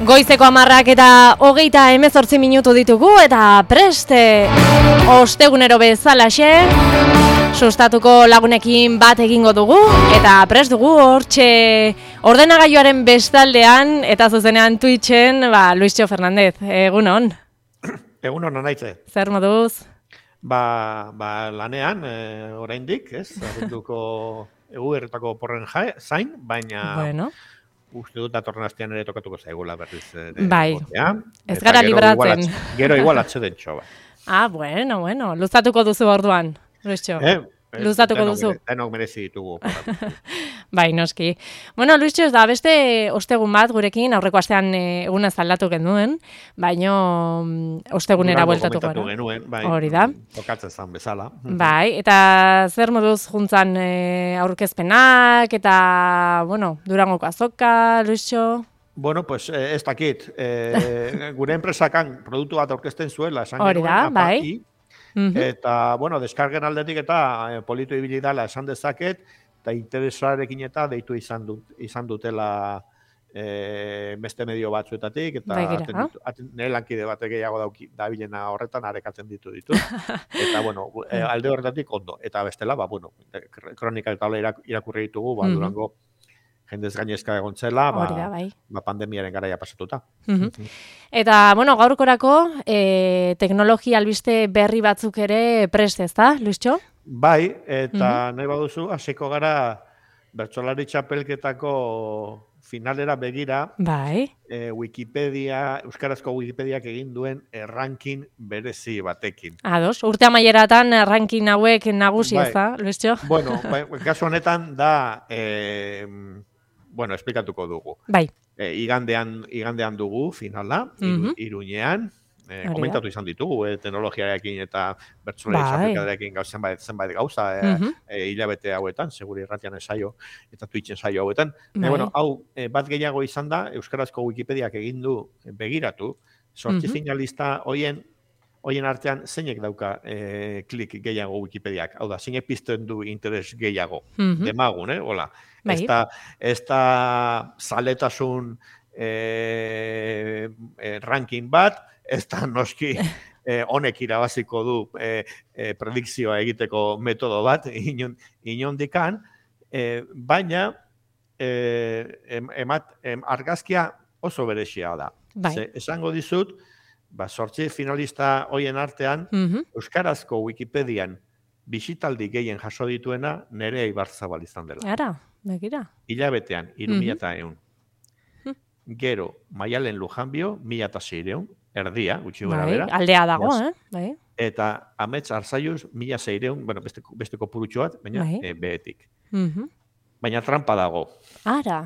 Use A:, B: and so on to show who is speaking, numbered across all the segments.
A: Goizeko 10 eta 38 minutu ditugu eta preste ostegunero bezalaxe sustatuko lagunekin bat egingo dugu eta prest dugu hortxe ordenagailuaren bestaldean eta zuzenean Twitchen, Luisio Fernandez, egunon.
B: Egunon anaitze.
A: Zer moduz?
B: Lanean, oraindik, ez? Abenduko eguerretako porren zain, baina
A: bueno.
B: Uste dut datorren astean ere tokatuko zaigula berriz.
A: Bai, ez gara libratzen.
B: Gero igual atzeden txoba.
A: Bueno, luzatuko duzu orduan, Luisio. Luzatuko duzu.
B: Denok merezi ditugu.
A: Bai, noski. Bueno, Luisio, da beste ostegun bat gurekin, aurreko astean eguna aldatu genuen, baino ostegunera bueltatuko gara.
B: Genuen, bai,
A: hori da.
B: Tokatzen zan bezala.
A: Bai, eta zer moduz juntzan aurkezpenak, eta, Durangoko azoka, Luisio?
B: Bueno, pues ez dakit. Gure enpresakan produktu bat aurkezten zuela, esan
A: hori da, bai.
B: Eta, deskargen aldetik eta politu ibili dela esan dezaket, eta interesarekin eta deitu izan dutela beste medio batzuetatik, eta nire lankide bat gehiago dabilena horretan arekatzen ditu. Eta, alde horretatik ondo. Eta bestela, kronika eta irakurri ditugu, Durango jendez gainezka egontzela, pandemiaren garaia pasatuta.
A: Eta, gaurkorako teknologia albiste berri batzuk ere prest ez da, Luisio?
B: Bai, eta nahi baduzu, hasiko gara bertsolari txapelketako finalera begira, Euskarazko Wikipediak egin duen ranking berezi batekin.
A: Ados, urte amaieratan ranking hauek nagusi ez da, Luisio?
B: Bueno, kasu honetan da... esplikatuko dugu.
A: Bai.
B: Igandean dugu finala, Iruñean, komentatu izan ditugu, teknologiarekin eta bertsolari txapelketarekin zenbait gauza, hilabete hauetan, seguri irratian esaio, eta Twitchen saio hauetan. Hau, bat gehiago izan da, Euskarazko Wikipediak egin du begiratu, sortzi finalista hoien artean zeinek dauka klik gehiago Wikipediak. Hau da, zeinek pizten du interes gehiago. Demagun, hola. Ez da zaletasun ranking bat, ez da noski honek irabaziko du predikzioa egiteko metodo bat, inondikan, baina argazkia oso berezia da. Esango dizut, sortzi finalista hoien artean, Euskarazko Wikipedian bisitaldi gehien jaso dituena Nerea Ibarzabal izan dela.
A: Ara, begira.
B: Hilabetean, 3.100. Gero, Maialen Lujanbio, 1.600, erdia, gutxi gora bera.
A: Aldea dago,
B: Eta Amets Arzaiuz, 1.600, beste kopurutxo bat, baina behetik. Baina trampa dago.
A: Ara.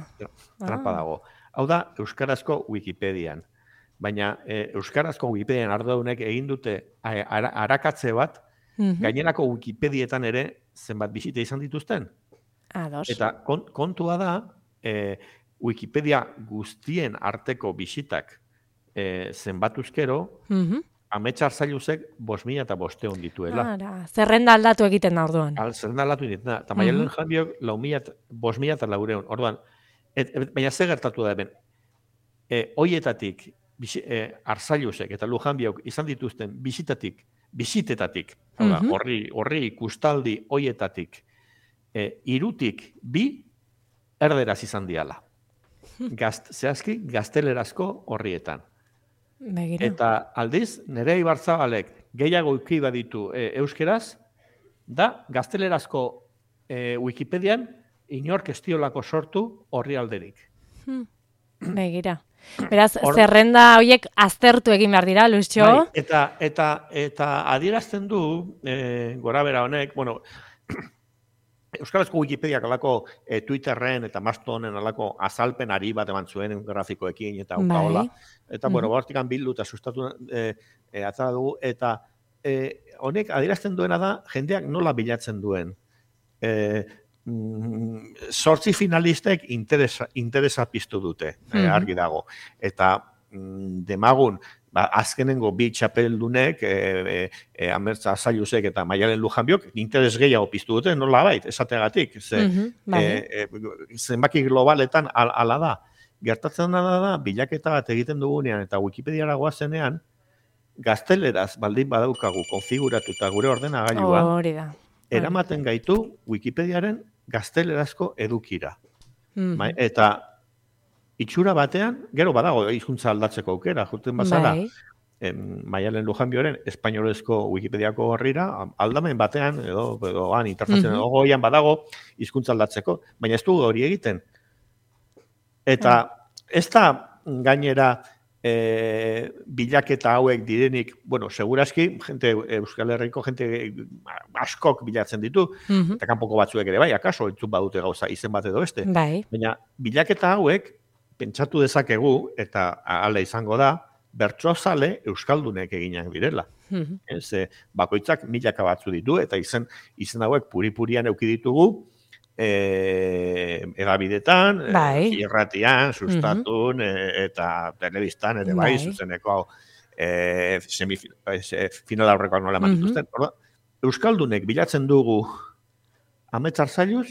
B: Trampa dago. Hau da, Euskarazko Wikipedian. Baina Euskarazko Wikipedian arduradunek egin dute arakatze bat, gainerako Wikipedietan ere zenbat bisita izan dituzten.
A: Ados.
B: Eta kontua da, Wikipedia guztien arteko bisitak zenbatuzkero, Amets Arzailuzek 5.500 dituela.
A: Zerrenda aldatu egiten da orduan.
B: Zerrenda aldatu egiten da. Eta Maialen Janbiok 5.400. Orduan, baina ze gertatu da hemen. Hoietatik, Arzailuzek eta Lujanbiok izan dituzten bisitetatik, horri ikustaldi hoietatik, 3 erderaz izan diala. Zehazki, gaztelerazko horrietan.
A: Begira.
B: Eta aldiz, Nerea Ibarzabalek gehiago uki baditu euskeraz, da gaztelerazko Wikipedian inork estiolako sortu horri alderik.
A: Begira. Beraz, zerrenda horiek aztertu egin behar dira, Luisio?
B: Eta adierazten du, gora bera honek, Euskarazko Wikipediak alako Twitterren eta Mastodonen alako azalpen ari bat eman zuen grafikoekin eta hola. Eta, bortikan bildu eta sustatu atzara dugu. Eta honek adierazten duena da, jendeak nola bilatzen duen. Sortzi finalistek interesa piztu dute, argi dago. Eta demagun, azkenengo bi txapeldunek, Amets Arzailusek eta Maialen Lujanbiok, interes gehiago piztu dute, nola bait, esategatik. Zenbaki globaletan ala da. gertatzen da, bilaketa bat egiten dugunean eta Wikipediara goazenean, gazteleraz baldin badaukagu konfiguratuta gure ordenagailua, eramaten gaitu Wikipediaren gaztelerazko edukira. Eta itxura batean, gero badago hizkuntza aldatzeko aukera, juten bazala, Maialen Lujanbioren espainolezko Wikipediako horrira, aldamen batean, edo han interfazioan, edo goian badago hizkuntza aldatzeko, baina ez du hori egiten. Eta ez da gainera bilaketa hauek direnik, bueno, segurazki, Euskal Herriko jente askok bilatzen ditu, eta kanpoko batzuek ere bai, akaso entzun badute gauza izen bat edo beste. Baina bilaketa hauek, pentsatu dezakegu, eta hala izango da, bertsozale euskaldunek eginak direla. Bakoitzak milaka batzu ditu, eta izen hauek puri-purian euki ditugu, edabidetan, irratian, sustatun, eta telebistan ere bai, zuzeneko final aurrekoak nola eman dituzten. Euskaldunek bilatzen dugu ametsar zailuz,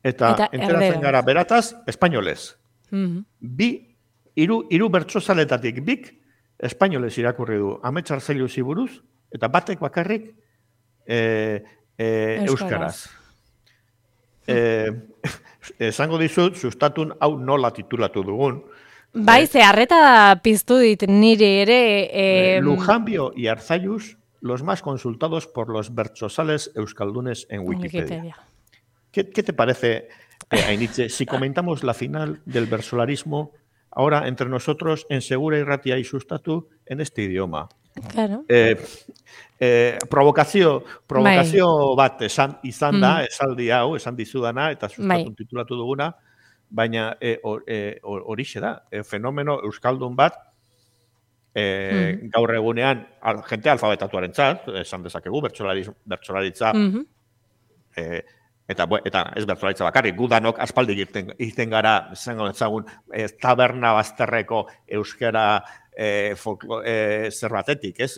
B: eta enteratzen gara berataz, espainolez. Hiru bertsozaletatik bik, espainolez irakurri du ametsar zailuzi buruz, eta batek bakarrik euskaraz. Esango dizut, sustatun hau nola titulatu dugun.
A: Bai, ze harreta piztu dit niri ere.
B: Lujanbio y Arzallus, los más consultados por los bertsozales euskaldunes en Wikipedia. ¿Qué te parece, Ainitze, si comentamos la final del versolarismo ahora entre nosotros en Segura Irratia y Sustatu en este idioma?
A: Claro.
B: Provokazio bat izan da, esaldi hau, esan dizudana, eta Sustatun titulatu duguna, baina horixe da, fenomeno euskaldun bat, gaur egunean, jente alfabetatuaren txat, esan dezakegu, bertsolaritza, eta ez bertsolaritza bakarrik, gudanok aspaldi egiten gara, zengo etzagun, taberna bazterreko euskara zer batetik, ez?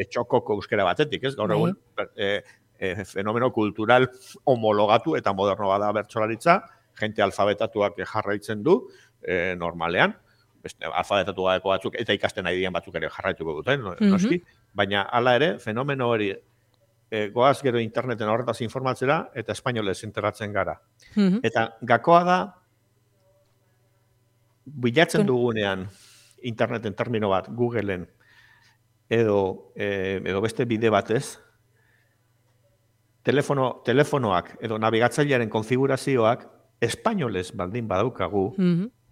B: Etxokoko euskara batetik, ez? Gaur egun, fenomeno kultural homologatu eta moderno bada bertsolaritza, jente alfabetatuak jarraitzen du, normalean, alfabetatu gadeko batzuk, eta ikasten nahi dian batzuk ere jarraituko duten, noski, baina hala ere, fenomeno hori goaz gero interneten horretaz informatzera, eta espainolez enteratzen gara. Eta gakoa da, bilatzen dugunean, interneten termino bat, Googleen, edo beste bide batez, telefonoak edo nabigatzailearen konfigurazioak espainolez baldin badaukagu,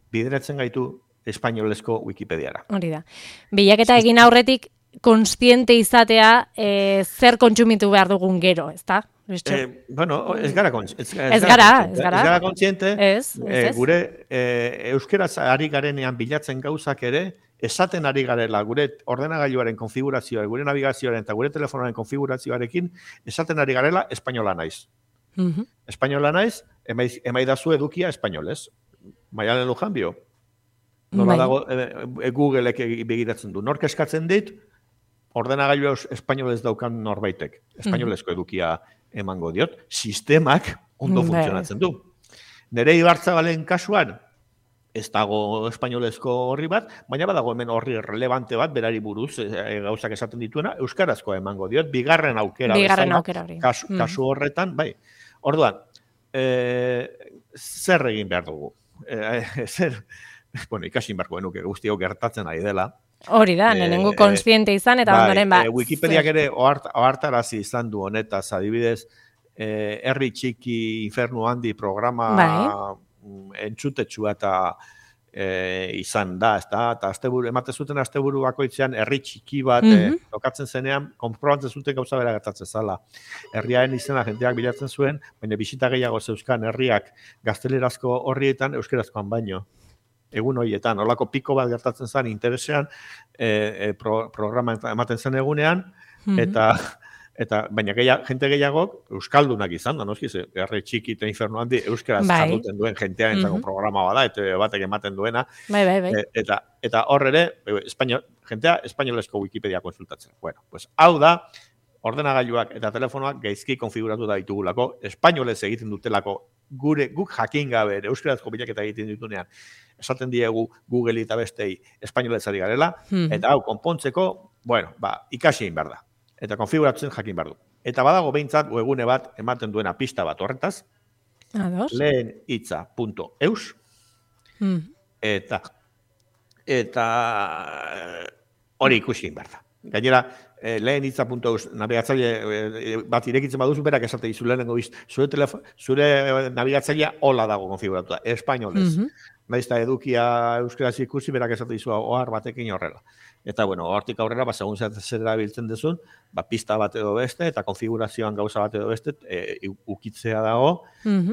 B: bideratzen gaitu espainolezko Wikipediara.
A: Hori da. Bilaketa egin aurretik, kontziente izatea zer kontsumitu behar dugun gero, ezta?
B: Bueno, ez gara kontziente, gure euskeraz ari garenean bilatzen gauzak ere, esaten ari garela gure ordenagailuaren konfigurazioa, gure navigazioaren eta gure telefonoaren konfigurazioarekin, esaten ari garela espainola naiz. Espainola naiz, emaidazu edukia espainolez. Maialen Lujanbio. Nola dago Googleek begiratzen du. Nork eskatzen dit, ordenagailu espainolez daukan norbaitek. Espainolezko edukia emango diot. Sistemak ondo funtzionatzen du. Nere Ibarzabalen kasuan, ez dago espainolezko horri bat, baina badago hemen horri relevante bat, berari buruz, gauzak esaten dituena, euskarazkoa emango diot, bigarren aukera
A: hori.
B: Kasu horretan, bai. Orduan, zer egin behar dugu? Bueno, ikasin beharko genuke guztiok gertatzen ari dela.
A: Hori da, nenengo kontziente izan, eta ondoren bat.
B: Wikipediak ere ohartarazi izan du honetaz, adibidez, herri txiki infernu handi programa entzutetxua eta izan da, eta ematen zuten asteburu bakoitzean herri txiki bat tokatzen zenean, konprobatzen zuten gauza bera gertatzen zala. Herriaren izena jendeak bilatzen zuen, baina bisita gehiago zeuzkan herriak gaztelerazko horrietan euskerazkoan baino. Egun horietan, holako piko bat gertatzen zen interesean, programa ematen zen egunean, eta baina jente gehiagok euskaldunak izan da, noski, herri txiki eta infernu handi euskeraz jarduten duen jentea entzako programa bada, eta batek ematen duena. Eta hor ere, jentea espainolezko Wikipedia konsultatzen. Bueno, pues hau da, ordenagailuak eta telefonoak gaizki konfiguratu da ditugulako, espainolez egiten dutelako guk jakin gabe, euskarazko bilaketa egiten ditunean, esaten diegu Google eta bestei espainoletzari garela, eta hau, konpontzeko, bueno, ikasi egin behar da. Eta konfiguratzen jakin behar du. Eta badago behintzat, webgune bat, ematen duena pista bat horretaz, lehenhitza.eus, eta hori ikusi egin behar da. Gainera, lehenhitza.eus nabigatzaile bat irekitzen baduzu, berak esate dizu lehenengo zure nabigatzailea hola dago konfiguratuta, espainolez. Naizta edukia euskaraz ikusi, berak esate dizu ohar batekin horrela. Eta, bueno, hortik aurrera, segun zer erabiltzen duzun, pista bat edo beste, eta konfigurazioan gauza bat edo beste, ukitzea dago,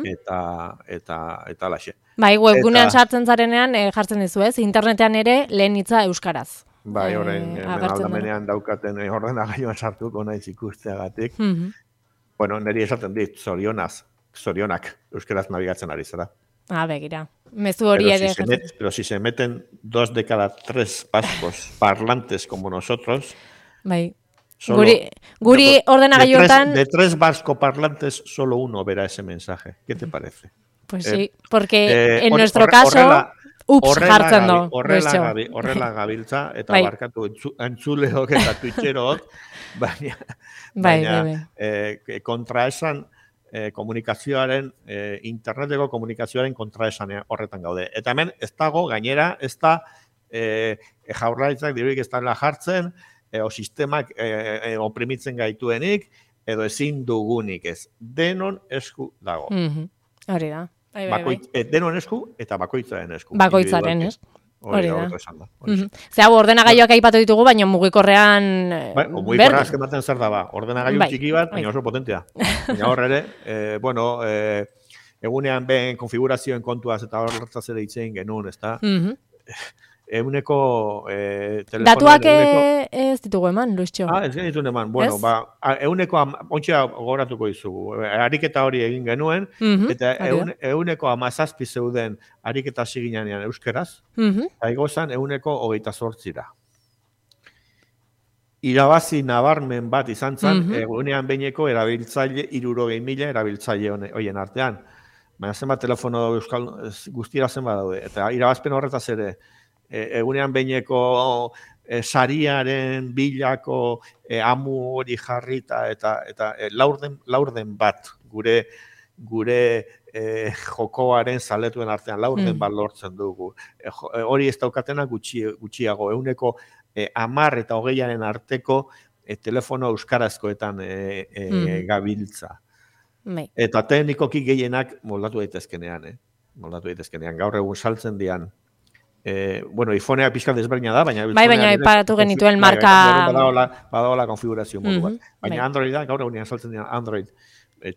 B: eta laxe.
A: Bai, webgunean sartzen zarenean, jartzen dizu ez, internetean ere lehenhitza euskaraz.
B: Bai, horrein, aldamenean daukaten ordenagailuan sartuko naiz ikusteagatik. Bueno, niri esaten dit, zorionak euskaraz nabigatzen ari zara.
A: Begira. Mezu hori ere.
B: Pero si se meten 2 de cada 3 vascos parlantes como nosotros,
A: bai. Guri ordenagailuetan...
B: De 3 vasco parlantes, solo uno verá ese mensaje. ¿Qué te parece?
A: Pues sí, porque en nuestro caso... Ups, jartzen du.
B: Horrela gabiltza, eta barkatu entzuleok eta twitcherook, baina kontraesan komunikazioaren, interneteko komunikazioaren kontraesan horretan gaude. Eta hemen ez dago, gainera, ez da jaurlaritzak dirurik ez dela jartzen, o sistemak oprimitzen gaituenik, edo ezin dugunik ez. Denon esku dago.
A: Hori da.
B: Denon esku eta bakoitzaren esku.
A: Bakoitzaren, ez? Hori da. Ze hau ordenagailuak aipatu ditugu, baina mugikorrean...
B: Mugikorrean azken baten zer da ba. Ordenagailu txiki bat, baina oso potentea. Baina hor ere, egunean ben konfigurazioen kontuaz eta horretzaz ere itzein genuen, ez da? Eguneko telefonoen...
A: Datuak ez ditugu eman, Luistxo?
B: Ez genituen eman. Bueno, eguneko, ontsia gogoratuko izugu. Ariketa hori egin genuen, eta eguneko 17 zeuden ariketa ziginanean euskeraz, eta igozan eguneko 28. Irabazi nabarmen bat izan zen, egunean behineko erabiltzaile, 60.000 erabiltzaile horien artean. Baina zenbat telefono euskal guztira zenbat daude. Eta irabazpen horretaz ere, egunean behineko sariaren bilako amu hori jarrita eta laurden bat gure jokoaren zaletuen artean laurden bat lortzen dugu. Hori ez daukatena gutxiago, eguneko 10 eta 20 arteko telefono euskarazkoetan gabiltza. Eta teknikoki gehienak moldatu daitezkenean. Gaur egun saltzen dian. Bueno, iPhonea pixka desberdina da, baina...
A: Baina ipatu genituen marka...
B: Badagoela konfigurazio modu bat. Baina Android da, gaur egunean saltzen dian Android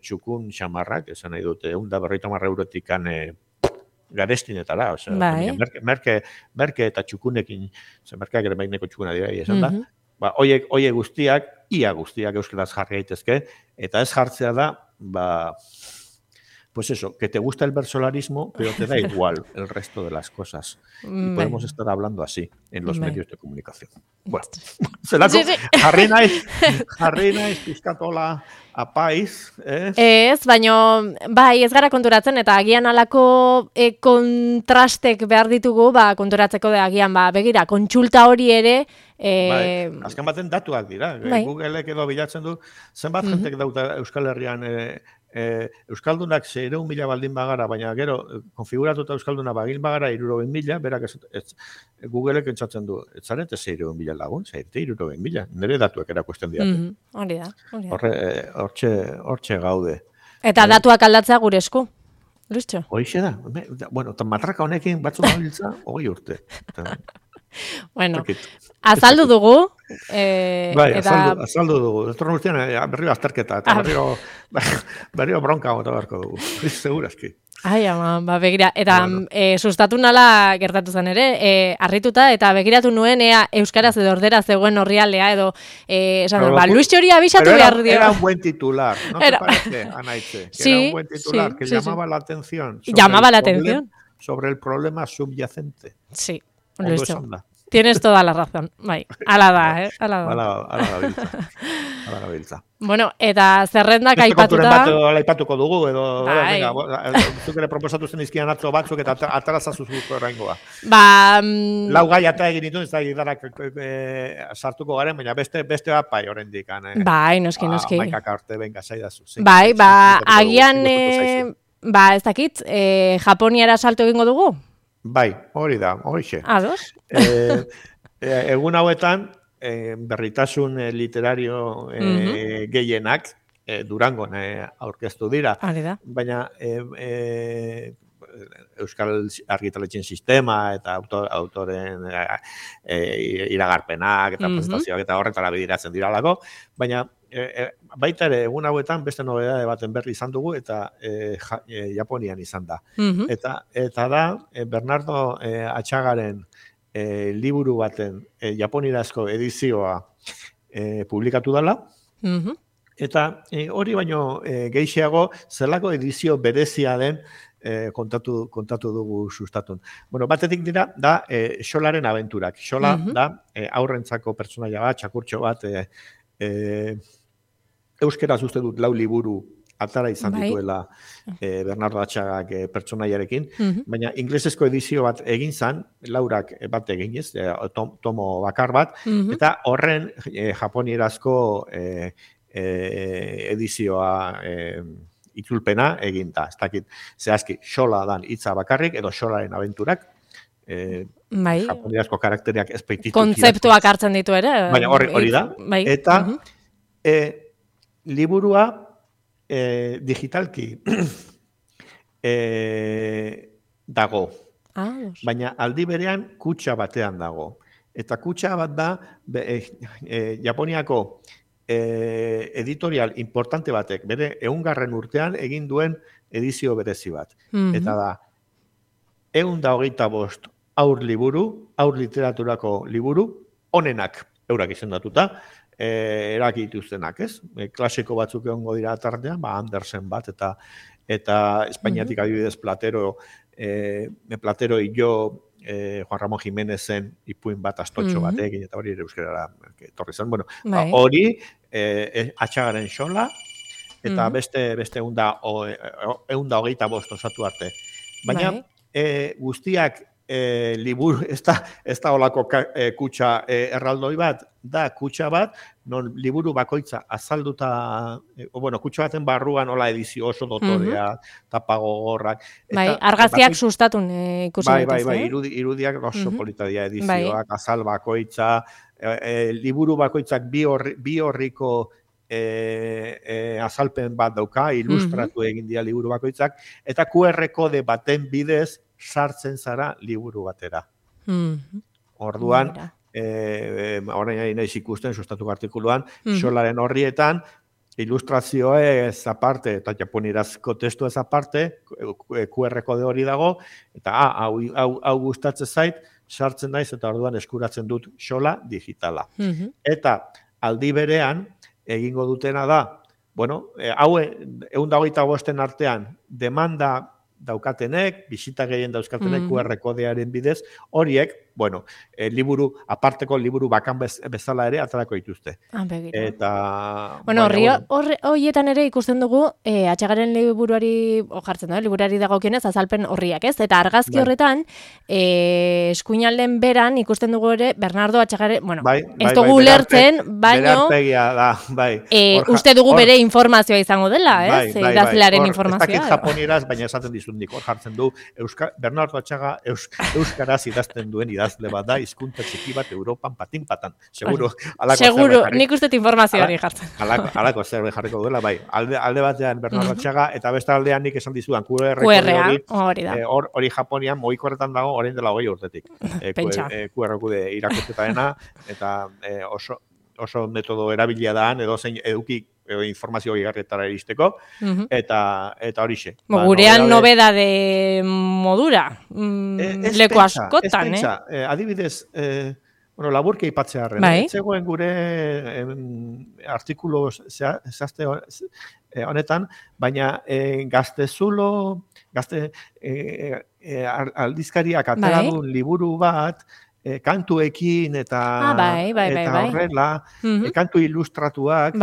B: txukun xamarrak, esan nahi dute, 150 eurotikan garestinetara, merke eta txukunekin, merkeak ere maineko txukuna dira, esan da, oie guztiak, ia guztiak euskaraz jarri gaitezke, eta ez jartzea da, pues eso, que te gusta el versolarismo, pero te da igual el resto de las cosas. Y podemos estar hablando así en los medios de comunicación. Bueno, jarri naiz pizkatola apaiz, ez?
A: Ez, baina, bai, ez gara konturatzen, eta agian alako kontrastek behar ditugu, konturatzeko da agian, begira, kontsulta hori ere...
B: Azken baten datuak dira. Googleek edo bilatzen du, zenbat jentek dauta Euskal Herrian Euskaldunak 600.000 baldin bagara, baina gero konfiguratuta Euskalduna bagin bagara 60.000, berak Googleek entzatzen du, ez zarete 600.000 lagun, zarete 60.000, nire datuak erakusten diate.
A: Hori da.
B: Hortxe gaude.
A: Eta datuak aldatzea gure esku, Luistxo?
B: Hoixe da. Bueno, matraka honekin batzuk gabiltza, 20 urte.
A: Bueno, azaldu dugu.
B: Bai, azaldu dugu. Etorren urtean berrio azterketa, eta berrio bronka gota beharko dugu. Segurazki.
A: Ai, ama, begira. Eta sustatu nala gertatu zen ere, harrituta, eta begiratu nuen euskaraz edo ordera zegoen horrialdea, edo Luis hori abisatu behar dio.
B: Era un buen titular, ¿no te parece, Anaitze? Era un buen titular que llamaba la atención.
A: Llamaba la atención.
B: Sobre el problema subyacente.
A: Sí. Tienes toda la razón, bai. Ala da, ala da.
B: Ala gabiltza.
A: Bueno, eta zerrendak aipatuta...
B: aipatuko dugu, edo, venga, zuk ere proposatu zen izkian atzo batzuk, eta atarazazuzuko erraingoa. Lau gai eta egin ditu, ez da gidarak sartuko garen, baina beste bat bai horrendik.
A: Bai, noski.
B: Maikak arte, venga, zaidazu.
A: Bai, agian, ez dakit, Japoniara salto egingo dugu?
B: Bai, hori da, horixe.
A: Ados?
B: Egun hauetan, berritasun literario gehienak Durangon aurkeztu dira. Baina Euskal Argitaletxen sistema eta autoren iragarpenak eta presentazioak eta horretara bidiratzen diralako, baina baita ere egun hauetan beste nobedade baten berri izan dugu eta Japonian izan da. Eta da Bernardo Atxagaren liburu baten japonirazko edizioa publikatu dela, eta hori baino gehixeago zelako edizio berezia den kontatu dugu sustatun. Bueno, batetik dira, da Xolaren abenturak. Xola da aurrentzako pertsonaia bat, txakurtxo bat, euskeraz uste dut 4 liburu atara izan dituela Bernardo Atxagak pertsonaiarekin, baina inglesezko edizio bat egin zan, 4 bat eginez, tomo bakar bat, eta horren japonierazko edizioa itzulpena egin da. Ez dakit, zehazki, Xola dan hitza bakarrik, edo Xolaren abenturak, japonierazko karakteriak espeititu.
A: Kontzeptuak hartzen ditu ere.
B: Baina hori da. Eta liburua digitalki dago, baina aldi berean kutxa batean dago. Eta kutxa bat da Japoniako editorial importante batek, bere 100. urtean egin duen edizio berezi bat. Eta da, 125 aur liburu, aur literaturako liburu, onenak eurak izendatuta, erakituztenak, ez? Klasiko batzuk egongo dira tartean, Andersen bat, eta Espainiatik adibidez Platero hilo Juan Ramón Jiménezen ipuin bat astotxo batekin, eta hori ere euskerara etorri zen. Bueno, hori Atxagaren Xola, eta beste 125 osatu arte. Baina guztiak liburu, ez da olako kutxa erraldoi bat, da kutxa bat, non liburu bakoitza azalduta, kutxa baten barruan ola edizio oso dotorea, tapagogorrak.
A: Argazkiak sustatun ikusi.
B: Bai, irudiak oso polita dira edizioak, azal bakoitza, liburu bakoitzak bi horriko azalpen bat dauka, ilustratu egin dira liburu bakoitzak, eta QR kode baten bidez sartzen zara liburu batera. Orduan, orain ari naiz ikusten, sustatuko artikuluan, Xolaren horrietan, ilustrazioa ez aparte, eta japonierazko testu ez aparte, QR kode hori dago, eta hau gustatzen zait, sartzen naiz, eta orduan eskuratzen dut Xola digitala. Eta aldi berean, egingo dutena da, hau 125 artean, demanda daukatenek, bisita gehien dauzkatenek QR kodearen bidez, horiek, liburu, aparteko liburu bakan bezala ere atarako dituzte. Eta...
A: horietan ere ikusten dugu, Atxagaren liburuari, jartzen da, liburuari dagokionez, azalpen horriak, ez? Eta argazki horretan, eskuinalden beran ikusten dugu ere, Bernardo Atxagaren, ez dugu ulertzen, baino... Uste dugu bere informazioa izango dela, ez? Idazlearen informazioa.
B: Ez dakit japonieraz, baina esaten dizundik, hor jartzen du, Bernardo Atxaga euskaraz idazten duen idazle bat da, hizkuntza txiki bat Europan patin-patan. Seguro,
A: nik uste informazioa hori jartzen.
B: Alako zerbe jarriko duela, bai. Alde batean Bernardo Atxaga, eta beste aldean nik esan dizudan, hori Japonian, mogiko horretan dago, orain dela 20 urtetik. QR kode irakurketaena, eta oso metodo erabilia daan, edo zein eduki informazio gigarretara iristeko, eta horixe.
A: Gurean nobedade modura, leku askotan,
B: adibidez, laburke ipatzearen, etzegoen gure artikulu zehazte honetan, baina gazte aldizkariak atera duen liburu bat, kantuekin eta horrela, kantu ilustratuak,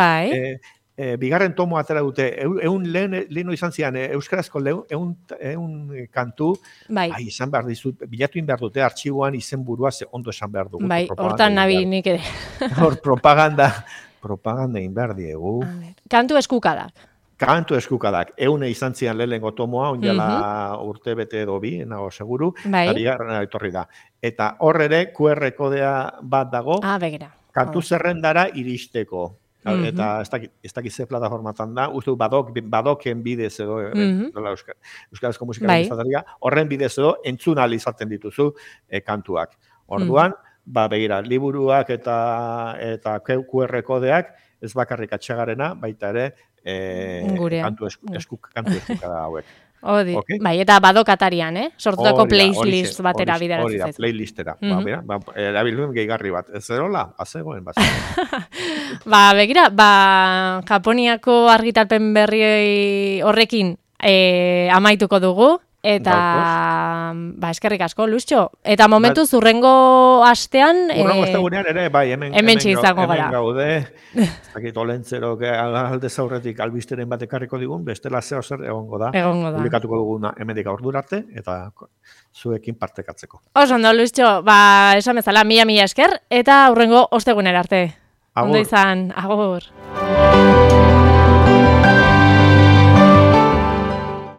B: bigarren tomo atera dute, lehenu izan zian, euskarazko ehun kantu, izan behar dizut, bilatu behar dute, artxiboan izen burua ondo esan behar dugu.
A: Hortan nabi nik ere.
B: Hor propaganda egin behar diegu.
A: Kantu eskukadak.
B: Kantu eskukadak, eune izan zian lehenengo tomoa, onjala urte bete edo bi, nago seguru, eta bigarrena etorri da. Eta hor ere, QR kodea bat dago, kantu zerrendara iristeko. Eta ez dakit ze plataformatan da, uste badoken bidez edo, euskarazko musika horren bidez edo, entzun izaten dituzu kantuak. Orduan, begira, liburuak eta QR kodeak, ez bakarrik atxagarena, baita ere, kantu eskukada hauek.
A: Bai, eta badokatarian, sortutako playlist batera bideratzen zaizu.
B: Hori da, playlistera. Erabiluen gehigarri bat. Ez erola, azegoen bat.
A: Begira, Japoniako argitalpen berri horrekin amaituko dugu. Eta, eskerrik asko, Luztxo. Eta momentu zurrengo astean...
B: Urrengo astegunean ere,
A: hemen izango gara.
B: Hemen gaude, ez dakit olentzerok alde zaurretik albisteren bat ekarriko digun, bestela zeo zer egongo da. Publikatuko duguna hemendik aurdurarte, eta zuekin partekatzeko.
A: Oso ondo, Luztxo, esan bezala, mila esker, eta urrengo ostegunera arte. Ondo izan, agur.